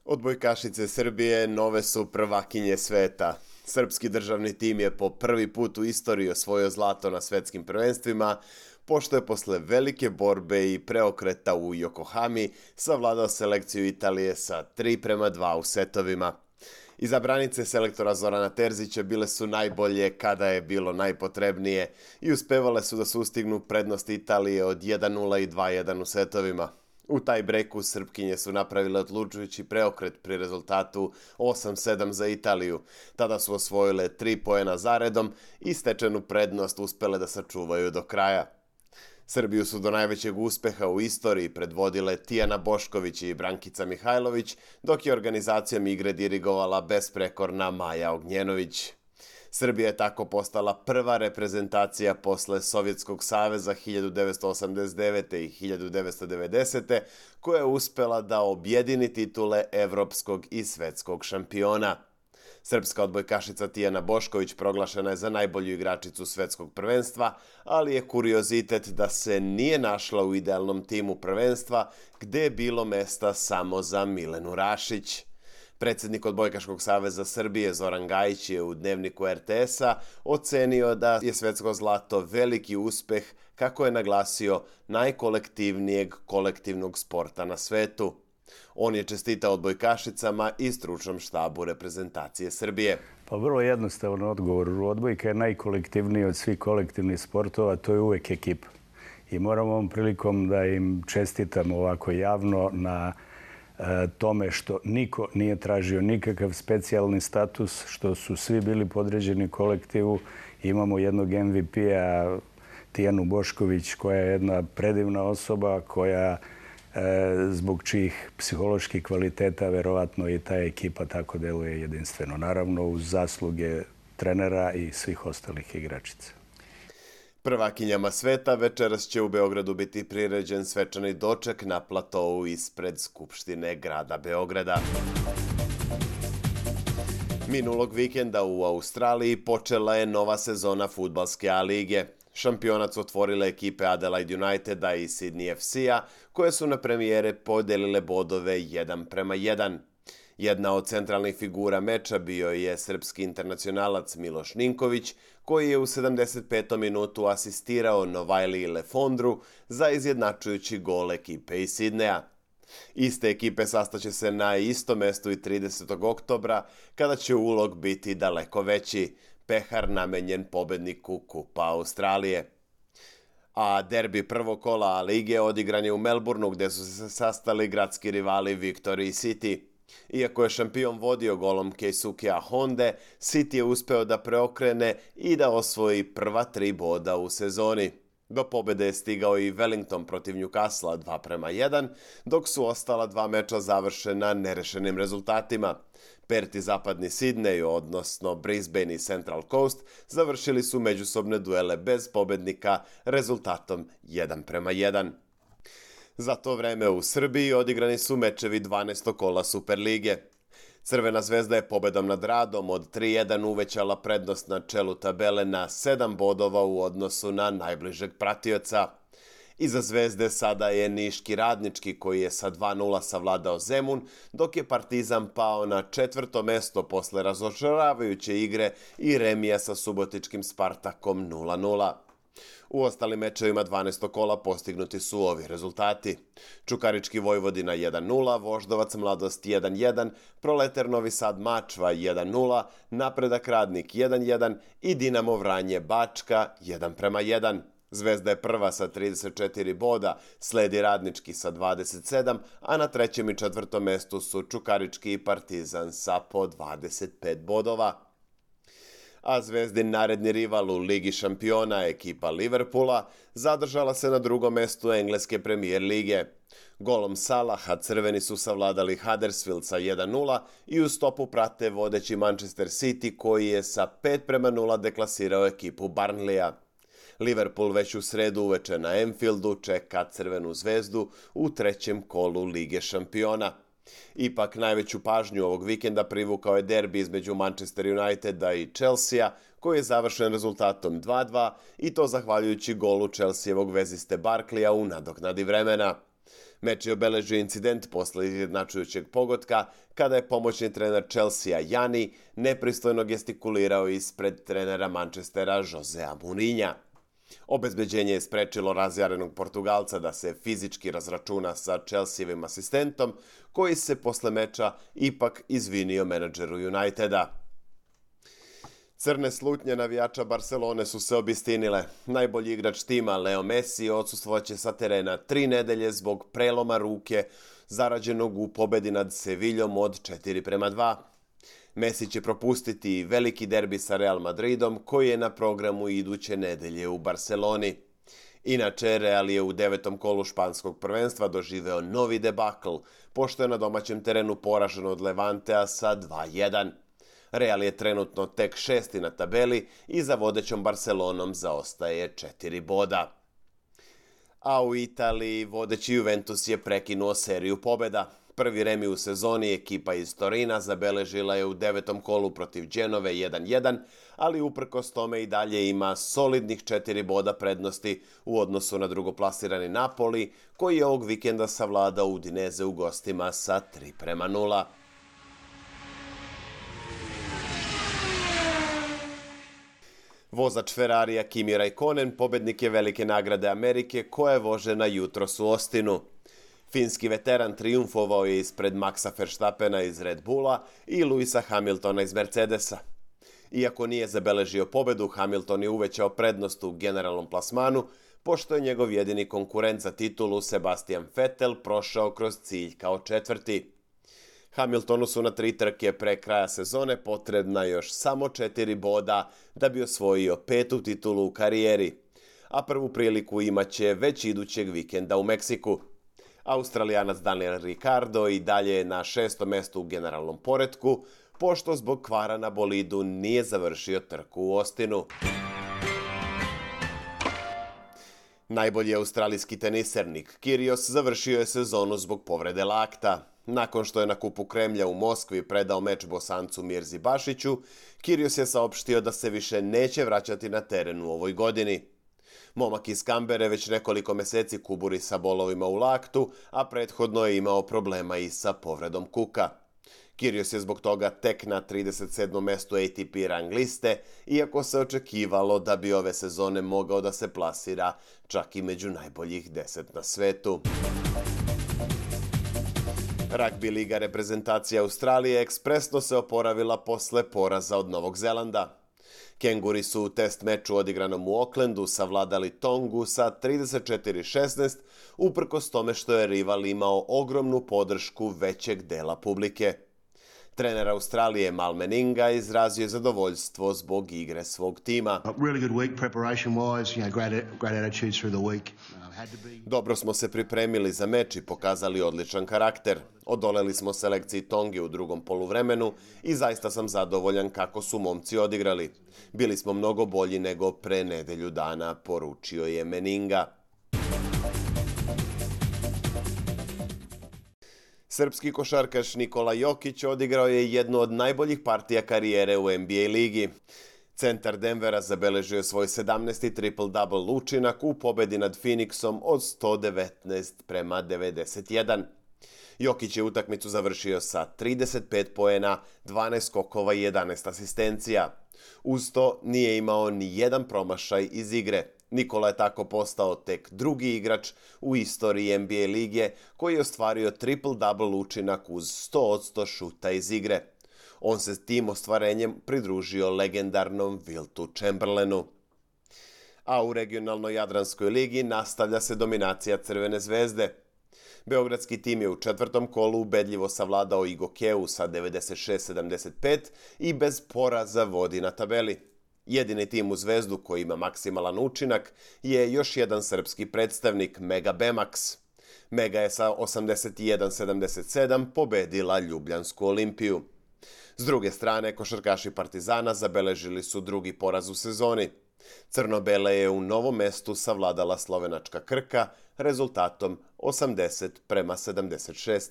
Odbojkašice Srbije nove su prvakinje sveta. Srpski državni tim je po prvi put u istoriji osvojio zlato na svetskim prvenstvima, pošto je posle velike borbe i preokreta u Yokohami savladao selekciju Italije sa 3:2 u setovima. Izabranice selektora Zorana Terzića bile su najbolje kada je bilo najpotrebnije i uspevale su da sustignu prednost Italije od 1:0 i 2:1 u setovima. U taj breku Srpkinje su napravile odlučujući preokret pri rezultatu 8:7 za Italiju. Tada su osvojile 3 poena zaredom i stečenu prednost uspele da sačuvaju do kraja. Srbiju su do najvećeg uspeha u istoriji predvodile Tijana Bošković i Brankica Mihajlović, dok je organizacijom igre dirigovala besprekorna Maja Ognjenović. Srbija je tako postala prva reprezentacija posle Sovjetskog saveza 1989. i 1990. koja je uspela da objedini titule evropskog i svetskog šampiona. Srpska odbojkašica Tijana Bošković proglašena je za najbolju igračicu svetskog prvenstva, ali je kuriozitet da se nije našla u idealnom timu prvenstva, gde je bilo mesta samo za Milenu Rašić. Predsednik Odbojkaškog saveza Srbije Zoran Gajić je u dnevniku RTS-a ocenio da je svetsko zlato veliki uspeh, kako je naglasio, najkolektivnijeg kolektivnog sporta na svetu. On je čestitao odbojkašicama i stručnom štabu reprezentacije Srbije. Pa vrlo jednostavan odgovor. Odbojka je najkolektivniji od svih kolektivnih sportova, to je uvek ekipa. I moram ovom prilikom da im čestitam ovako javno na tome što niko nije tražio nikakav specijalni status, što su svi bili podređeni kolektivu. Imamo jednog MVP-a, Tijanu Bošković, koja je jedna predivna osoba, koja zbog čijih psiholoških kvaliteta verovatno i ta ekipa tako deluje jedinstveno. Naravno, uz zasluge trenera i svih ostalih igračica. Prvakinjama sveta večeras će u Beogradu biti priređen svečani doček na platovu ispred Skupštine grada Beograda. Minulog vikenda u Australiji počela je nova sezona fudbalske A lige. Šampionac otvorile ekipe Adelaide Uniteda i Sydney FC-a, koje su na premijere podelile bodove 1:1. Jedna od centralnih figura meča bio je srpski internacionalac Miloš Ninković, koji je u 75. minutu asistirao Novajliji Lefondru za izjednačujući gol ekipe iz Sidneja. Iste ekipe sastaće se na istom mestu i 30. oktobra, kada će ulog biti daleko veći, pehar namenjen pobedniku Kupa Australije. A derbi prvog kola A lige odigran je u Melbourneu, gde su se sastali gradski rivali Victory City. Iako je šampion vodio golom Keisukea Honde, City je uspeo da preokrene i da osvoji prva 3 boda u sezoni. Do pobede je stigao i Wellington protiv Newcastle 2:1, dok su ostala 2 meča završena nerešenim rezultatima. Perth i zapadni Sidney, odnosno Brisbane i Central Coast, završili su međusobne duele bez pobednika rezultatom 1:1. Za to vreme u Srbiji odigrani su mečevi 12. kola Superlige. Crvena zvezda je pobedom nad Radom od 3:1 uvećala prednost na čelu tabele na 7 bodova u odnosu na najbližeg pratioca. Iza Zvezde sada je Niški Radnički, koji je sa 2:0 savladao Zemun, dok je Partizan pao na 4. mesto posle razočaravajuće igre i remija sa subotičkim Spartakom 0:0. U ostalim mečevima 12. kola postignuti su ovi rezultati. Čukarički Vojvodina 1:0, Voždovac Mladost 1:1, Proleter Novi Sad Mačva 1:0, Napredak Radnik 1:1 i Dinamo Vranje Bačka 1:1. Zvezda je prva sa 34 boda, sledi Radnički sa 27, a na 3. i 4. mestu su Čukarički i Partizan sa po 25 bodova. A Zvezdin naredni rival u Ligi šampiona, ekipa Liverpoola, zadržala se na 2. mestu engleske premijer lige. Golom Salaha crveni su savladali Huddersfield sa 1:0 i u stopu prate vodeći Manchester City, koji je sa 5:0 deklasirao ekipu Burnleya. Liverpool već u sredu uveče na Anfieldu čeka Crvenu zvezdu u 3. kolu Lige šampiona. Ipak najveću pažnju ovog vikenda privukao je derbi između Manchester Uniteda i Chelsea, koji je završen rezultatom 2:2 i to zahvaljujući golu Chelseavog veziste Barkleya u nadoknadi vremena. Meč je obeležio incident posle izjednačujućeg pogotka, kada je pomoćni trener Chelsea Jani nepristojno gestikulirao ispred trenera Manchestera Josea Mourinha. Obezbeđenje je sprečilo razjarenog Portugalca da se fizički razračuna sa Chelseavim asistentom, koji se posle meča ipak izvinio menadžeru Uniteda. Crne slutnje navijača Barcelone su se obistinile. Najbolji igrač tima Leo Messi odsustvovaće sa terena 3 nedelje zbog preloma ruke zarađenog u pobedi nad Seviljom od 4:2. Messi će propustiti veliki derbi sa Real Madridom koji je na programu iduće nedelje u Barceloni. Inače, Real je u 9. kolu španskog prvenstva doživeo novi debakl, pošto je na domaćem terenu poražen od Levantea sa 2:1. Real je trenutno tek 6. na tabeli i za vodećom Barcelonom zaostaje 4 boda. A u Italiji vodeći Juventus je prekinuo seriju pobjeda. Prvi remi u sezoni ekipa iz Torina zabeležila je u 9. kolu protiv Genove 1:1, ali uprkos tome i dalje ima solidnih 4 boda prednosti u odnosu na drugoplasirani Napoli, koji je ovog vikenda savladao Udinese u gostima sa 3:0. Vozač Ferrarija Kimi Räikkönen pobednik je velike nagrade Amerike koja je vožena jutros u Austinu. Finski veteran trijumfovao je ispred Maxa Verstappena iz Red Bulla i Lewisa Hamiltona iz Mercedesa. Iako nije zabeležio pobedu, Hamilton je uvećao prednost u generalnom plasmanu, pošto je njegov jedini konkurent za titulu Sebastian Vettel prošao kroz cilj kao četvrti. Hamiltonu su na 3 trke pre kraja sezone potrebna još samo 4 boda da bi osvojio 5. titulu u karijeri, a prvu priliku imaće već idućeg vikenda u Meksiku. Australijanac Daniel Ricciardo i dalje je na 6. mestu u generalnom poretku, pošto zbog kvara na bolidu nije završio trku u Austinu. Najbolji australijski teniser Nick Kyrgios završio je sezonu zbog povrede lakta. Nakon što je na Kupu Kremlja u Moskvi predao meč Bosancu Mirzi Bašiću, Kyrgios je saopštio da se više neće vraćati na teren u ovoj godini. Momak iz Kambere već nekoliko meseci kuburi sa bolovima u laktu, a prethodno je imao problema i sa povredom kuka. Kyrgios je zbog toga tek na 37. mestu ATP rang liste, iako se očekivalo da bi ove sezone mogao da se plasira čak i među najboljih 10 na svetu. Ragbi liga reprezentacije Australije ekspresno se oporavila posle poraza od Novog Zelanda. Kenguri su u test meču odigranom u Aucklandu savladali Tongu sa 34:16, uprkos tome što je rival imao ogromnu podršku većeg dela publike. Trener Australije Mal Meninga izrazio je zadovoljstvo zbog igre svog tima. Dobro smo se pripremili za meč i pokazali odličan karakter. Odoleli smo selekciji Tonge u drugom poluvremenu i zaista sam zadovoljan kako su momci odigrali. Bili smo mnogo bolji nego pre nedelju dana, poručio je Meninga. Srpski košarkaš Nikola Jokić odigrao je jednu od najboljih partija karijere u NBA ligi. Centar Denvera zabeležio svoj 17. triple-double učinak u pobedi nad Phoenixom od 119:91. Jokić je utakmicu završio sa 35 poena, 12 skokova i 11 asistencija. Uz to nije imao ni jedan promašaj iz igre. Nikola je tako postao tek drugi igrač u istoriji NBA lige koji je ostvario triple-double učinak uz 100% šuta iz igre. On se s tim ostvarenjem pridružio legendarnom Wiltu Chamberlainu. A u regionalnoj Jadranskoj ligi nastavlja se dominacija Crvene zvezde. Beogradski tim je u 4. kolu ubedljivo savladao i Gokeu sa 96:75 i bez poraza vodi na tabeli. Jedini tim u Zvezdu koji ima maksimalan učinak je još jedan srpski predstavnik Mega Bemax. Mega je sa 81:77 pobedila Ljubljansku Olimpiju. S druge strane, košarkaši Partizana zabeležili su drugi poraz u sezoni. Crno-bele je u Novom Mestu savladala slovenačka Krka rezultatom 80:76.